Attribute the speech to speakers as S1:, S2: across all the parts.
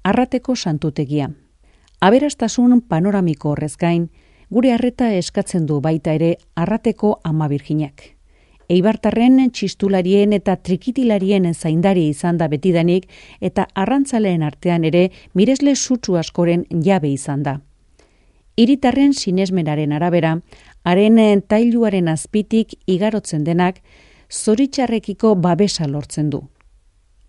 S1: Arrateko santutegia. Aberastasun panoramiko horrez gain, gure arreta eskatzen du baita ere Arrateko Ama Birjinak. Eibartarren txistularien eta trikitilarien zaindari izan da betidanik eta arrantzaleen artean ere miresle sutsu askoren jabe izan da. Hiritarren sinesmenaren arabera, haren tailuaren azpitik igarotzen denak zoritxarrekiko babesa lortzen du.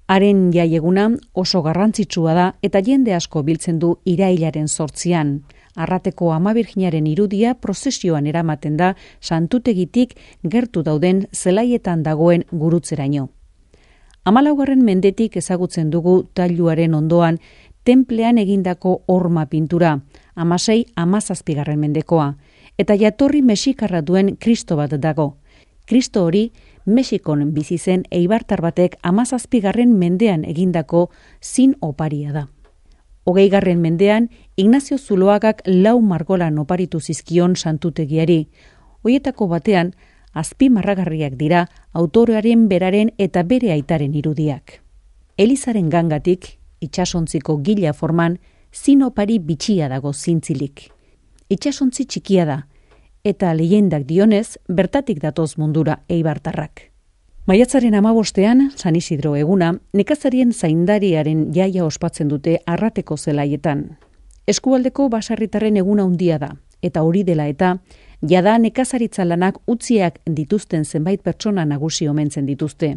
S1: Haren jaieguna oso garrantzitsua da eta jende asko biltzen du irailaren 8an. Arrateko Ama Birjinaren irudia prozesioan eramaten da santutegitik gertu dauden zelaietan dagoen gurutzeraino. 14. mendetik ezagutzen dugu tailuaren ondoan tenplean egindako horma pintura, 16-17 mendekoa, eta jatorri mexikarra duen Kristo bat dago. Kristo hori Mexikon bizi zen eibartar batek 17. mendean egindako zin oparia da. 20. mendean Ignacio Zuloagak 4 margolan oparitu zizkion santutegiari. Hoietako batean azpimarragarriak dira autorearen beraren eta bere aitaren irudiak. Elizaren gangatik, itsasontziko gila forman, zin opari bitxia dago zintzilik. Itsasontzi txikia da, eta leyendak dionez, bertatik datoz mundura eibartarrak. Maiatzaren 15ean, San Isidro eguna, nekazarien zaindariaren jaia ospatzen dute Arrateko zelaietan. Eskualdeko baserritarren eguna handia da, eta hori dela eta, jada nekazaritza lanak utziak dituzten zenbait pertsona nagusi omentzen dituzte.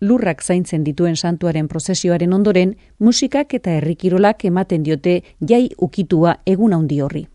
S1: Lurrak zaintzen dituen santuaren prozesioaren ondoren, musikak eta herrikirolak ematen diote jai ukitua egun handi horri.